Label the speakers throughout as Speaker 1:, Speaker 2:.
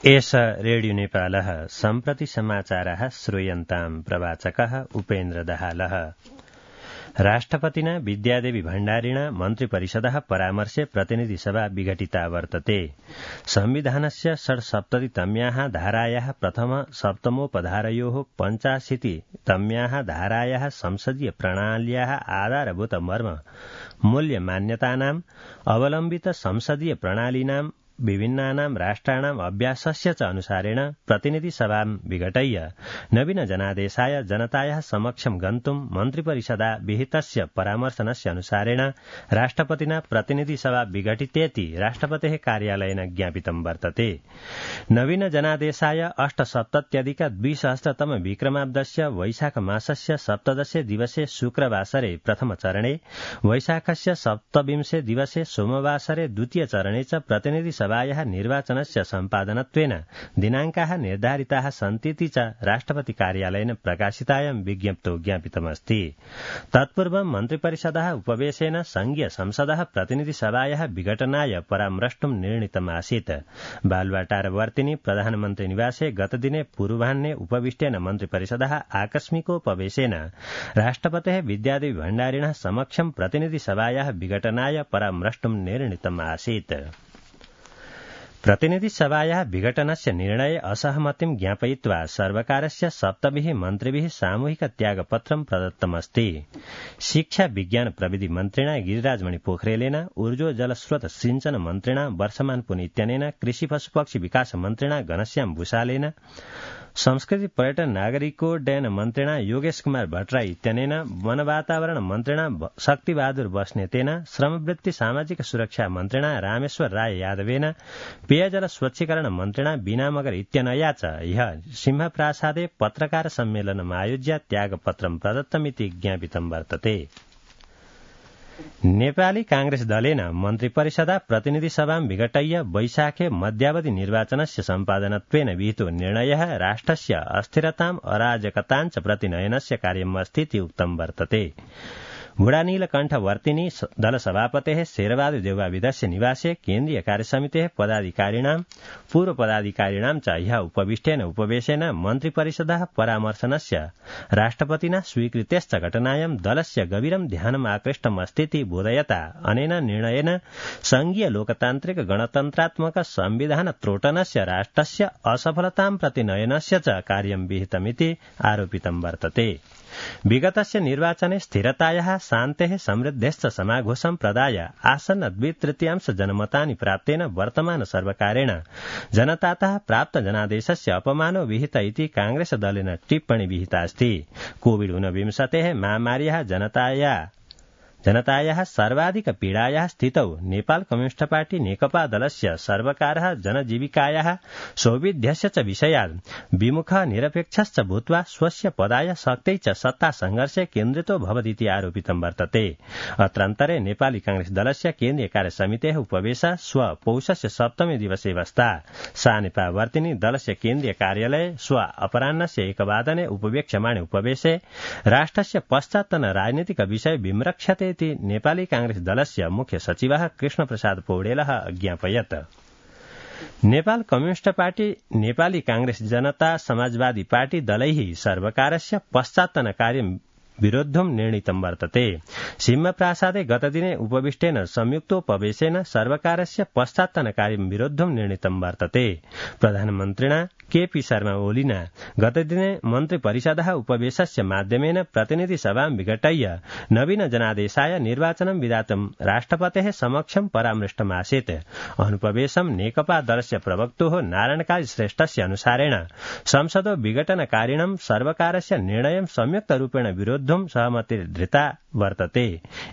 Speaker 1: एष रेडियो नेपालः सम्प्रति समाचाराः श्रूयन्ताम् प्रवाचकः उपेन्द्र दाहालः। राष्ट्रपतिना विद्यादेवी भण्डारिणा मन्त्रिपरिषदः परामर्शे प्रतिनिधिसभा विघटिता वर्तते। संविधानस्य 67तम्याः धारायाः प्रथम सप्तमोपधारयोः 85तम्याः धारायाः संसदीय प्रणाल्याः आधारभूत मर्म मूल्य मान्यतानाम् अवलम्बित संसदीय प्रणालीनां विभिन्नानां राष्ट्राणाम् अभ्यासस्य च अनुसारेण प्रतिनिधिसभां विघटय्य नवीन जनादेशाय जनतायाः समक्षं गन्तुं मन्त्रिपरिषदा विहितस्य परामर्शनस्य अनुसारेण राष्ट्रपतिना प्रतिनिधिसभा विघटितेति राष्ट्रपतेः कार्यालयेन ज्ञापितं वर्तते। नवीन जनादेशाय 8सप्तत्यधिक-द्विसहस्रतम विक्रमाब्दस्य वैशाख मासस्य 17 दिवसे शुक्रवासरे प्रथमचरणे, वैशाखस्य 27 दिवसे सोमवासरे द्वितीय चरणे च प्रतिनिधिसभायाः निर्वाचनस्य सम्पादनत्वेन दिनाङ्काः निर्धारिताः सन्तीति च राष्ट्रपति कार्यालयेन प्रकाशितायां विज्ञप्तौ ज्ञापितमस्ति। तत्पूर्वं मन्त्रिपरिषदः उपवेशेन संघीय संसदः प्रतिनिधिसभायाः विघटनाय परामृष्टुं निर्णीतमासीत्। बालुवाटारवर्तिनि प्रधानमन्त्री निवासे गतदिने पूर्वाह्ने उपविष्टेन मन्त्रिपरिषदः आकस्मिकोपवेशेन राष्ट्रपतेः विद्यादेवी भण्डारिणः समक्षं प्रतिनिधिसभायाः विघटनाय परामृष्टुं निर्णीतमासीत्। प्रतिनिधिसभायाः विघटनस्य निर्णये असहमतिं ज्ञापयित्वा सर्वकारस्य 7 मन्त्रिभिः सामूहिक त्यागपत्रं प्रदत्तमस्ति। शिक्षा विज्ञान प्रविधि मन्त्रिणा गिरिराजमणि पोखरेलेन, ऊर्जो जलस्रोत सिंचन मन्त्रिणा वर्षमान पुन इत्यनेन, कृषि पशुपक्षी विकास मन्त्रिणा घनश्याम भूषालेन, संस्कृति पर्यटन नागरिकोड्डयन मन्त्रिणा योगेश कुमार भट्टराई इत्यनेन, वन वातावरण मन्त्रिणा शक्तिबहादुर बस्नेतेन, श्रमवृत्ति सामाजिक सुरक्षा मन्त्रिणा रामेश्वर राय यादवेन, पेयजल स्वच्छीकरण मन्त्रिणा बीना मगर इत्यनया च ह्यः सिंहप्रासादे पत्रकार सम्मेलनम् आयोज्य त्यागपत्रं प्रदत्तमिति ज्ञापितं वर्तते। नेपाली कांग्रेस दलेन मन्त्रिपरिषदा प्रतिनिधिसभां विघटय्य वैशाखे मध्यावधि निर्वाचनस्य सम्पादनत्वेन विहितो निर्णयः राष्ट्रस्य अस्थिरताम् अराजकतां च प्रतिनयनस्य कार्यम् अस्तीति उक्तं वर्तते। बुढानीलकण्ठवर्तिनी दलसभापतेः शेरबहादुर देउवाविदस्य निवासे केन्द्रीय कार्यसमितेः पदाधिकारिणां पूर्व पदाधिकारिणां च ह्यः उपविष्टेन उपवेशेन मन्त्रिपरिषदः परामर्शनस्य राष्ट्रपतिना स्वीकृतेश्च घटनायां दलस्य गभीरं ध्यानम् आकृष्टम् अस्तीति बोधयता अनेन निर्णयेन संघीय लोकतान्त्रिक गणतन्त्रात्मक संविधान त्रोटनस्य राष्ट्रस्य असफलतां प्रतिनयनस्य च कार्यं विहितमिति आरोपितं वर्तते। विगतस्य निर्वाचने स्थिरतायाः शान्तेः समृद्धेश्च समाघोषं प्रदाय आसन्न 2/3 जनमतानि प्राप्तेन वर्तमान सर्वकारेण जनतातः प्राप्त जनादेशस्य अपमानो विहित इति कांग्रेस दलेन टिप्पणी विहिता अस्ति। कोविड-19 महामार्याः जनतायाः सर्वाधिक पीडायाः स्थितौ नेपाल कम्युनिस्ट पार्टी नेकपा दलस्य सर्वकारः जनजीविकायाः सौविध्यस्य च विषयात् विमुखः निरपेक्षश्च भूत्वा स्वस्य पदाय शक्त्यै च सत्ता संघर्षे केन्द्रितो भवतीति आरोपितं वर्तते। अत्रान्तरे नेपाली कांग्रेस दलस्य केन्द्रीय कार्यसमितेः उपवेशः श्व पौषस्य 7 दिवसे वस्ता। सानेपावर्तिनि दलस्य केन्द्रीय कार्यालये श्व अपराह्नस्य 1 वादने उपवेक्ष्यमाणे उपवेशे राष्ट्रस्य पश्चात्तन राजनीतिक विषय विमृक्षते इति नेपाली कांग्रेस दलस्य मुख्य सचिवः कृष्णप्रसाद पौडेलः अज्ञापयत्। नेपाल कम्युनिस्ट पार्टी, नेपाली कांग्रेस जनता समाजवादी पार्टी दलैः सर्वकारस्य पश्चात्तन कार्यं विरोद्धुं निर्णीतं वर्तते। सिंहप्रासादे गतदिने उपविष्टेन संयुक्तोपवेशेन सर्वकारस्य पश्चात्तन कार्यं विरोद्धुं निर्णीतं वर्तते। प्रधानमन्त्रिणा केपी शर्मा ओलीना गतदिने मन्त्रिपरिषदः उपवेशस्य माध्यमेन प्रतिनिधिसभां विघटय्य नवीन जनादेशाय निर्वाचनं विधातुं राष्ट्रपतेः समक्षं परामृष्टमासीत्। अनुपवेशं नेकपा दलस्य प्रवक्तुः नारायणकाली श्रेष्ठस्य अनुसारेण संसदो विघटनकारिणं सर्वकारस्य निर्णयं संयुक्तरूपेण विरोद्धुं सहमतिर्धृता वर्तते।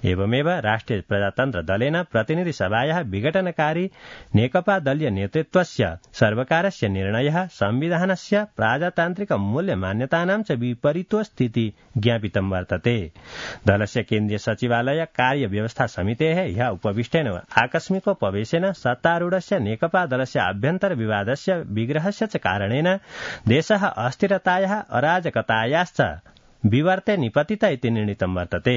Speaker 1: एवमेव राष्ट्रिय प्रजातन्त्र दलेन प्रतिनिधिसभायाः विघटनकारी नेकपा दलीय नेतृत्वस्य सर्वकारस्य निर्णयः संविधानस्य प्रजातान्त्रिक मूल्य मान्यतानां च विपरीतोऽस्तीति ज्ञापितं वर्तते। दलस्य केन्द्रीय सचिवालय कार्य व्यवस्था समितेः ह्यः उपविष्टेन आकस्मिकोपवेशेन सत्तारूढस्य नेकपा दलस्य आभ्यन्तर विवादस्य विग्रहस्य च कारणेन देशः अस्थिरतायाः अराजकतायाश्च विवर्ते निपतित इति निर्णीतं वर्तते।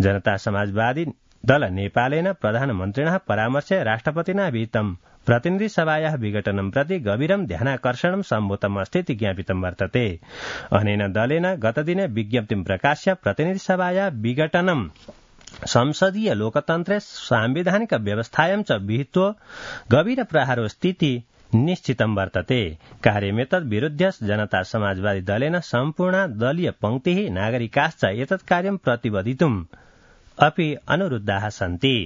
Speaker 1: जनता समाजवादी दल नेपालेन प्रधानमन्त्रिणः परामर्शे राष्ट्रपतिना विहितं प्रतिनिधि सभायाः विघटनं प्रति गभीरं ध्यानाकर्षणं सम्भूतम् अस्ति इति ज्ञापितं वर्तते। अनेन दलेन गतदिने विज्ञप्तिं प्रकाश्य प्रतिनिधि सभायाः विघटनं संसदीय लोकतन्त्रे सांविधानिक व्यवस्थायां च विहितो गभीर प्रहारो स्थिति निश्चितं वर्तते। कार्यमेतद् विरुध्य जनता समाजवादी दलेन सम्पूर्ण दलीय पंक्तिः नागरिकाश्च एतत् कार्यं प्रतिबद्धितुम् अपि अनुरुद्धाः सन्ति।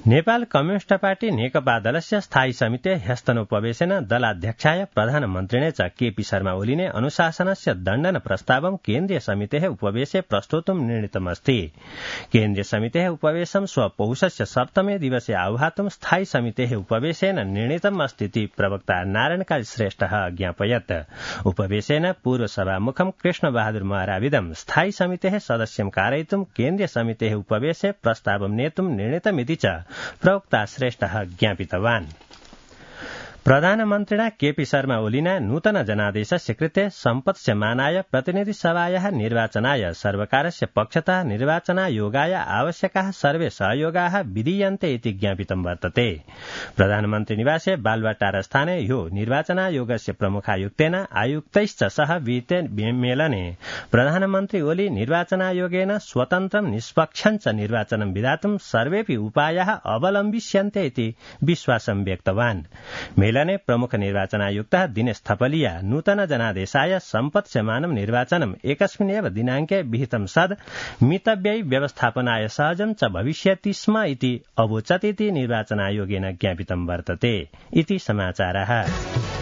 Speaker 1: नेपाल कम्युनिस्ट पार्टी नेकपा दलस्य स्थायी समिते ह्यस्तनोपवेशेन दलाध्यक्षाय प्रधानमन्त्रिणे च केपी शर्मा ओलीने अनुशासनस्य दण्डन प्रस्तावं केन्द्रीय समितेः उपवेशे प्रस्तोतुं निर्णीतमस्ति। केन्द्रीय समितेः उपवेशं स्वपौषस्य सप्तमे दिवसे आह्वातुं स्थायी समितेः उपवेशेन निर्णीतम् अस्ति इति प्रवक्ता नारायणकाली श्रेष्ठः अज्ञापयत्। उपवेशेन पूर्वसभामुखं कृष्णबहादुर महराविदं स्थायी समितेः सदस्यं कारयितुं केन्द्रीय समितेः उपवेशे प्रस्तावं नेतुं निर्णीतमिति च प्रवक्ता श्रेष्ठः ज्ञापितवान्। प्रधानमन्त्रिणा केपी शर्मा ओलीना नूतन जनादेशस्य कृते सम्पत्स्यमानाय प्रतिनिधि सभायाः निर्वाचनाय सर्वकारस्य पक्षतः निर्वाचनायोगाय आवश्यकाः सर्वे सहयोगाः विधीयन्ते इति ज्ञापितं वर्तते। प्रधानमन्त्री निवासे बालुवाटार स्थाने ह्यो निर्वाचनायोगस्य प्रमुखायुक्तेन आयुक्तैश्च सह विहिते मेलने प्रधानमन्त्री ओली निर्वाचनायोगेन स्वतन्त्रं निष्पक्षं च निर्वाचनं विधातुं सर्वेऽपि उपायाः अवलम्बिष्यन्ते इति विश्वासं व्यक्तवान्। मेलने प्रमुख निर्वाचनायुक्तः दिनेश थपलिया नूतन जनादेशाय सम्पत्स्यमानं निर्वाचनम् एकस्मिन्नेव दिनाङ्के विहितं सद् मितव्ययी व्यवस्थापनाय सहजं च भविष्यति स्म इति अवोचत् इति निर्वाचनायोगेन ज्ञापितं वर्तते इति समाचारः।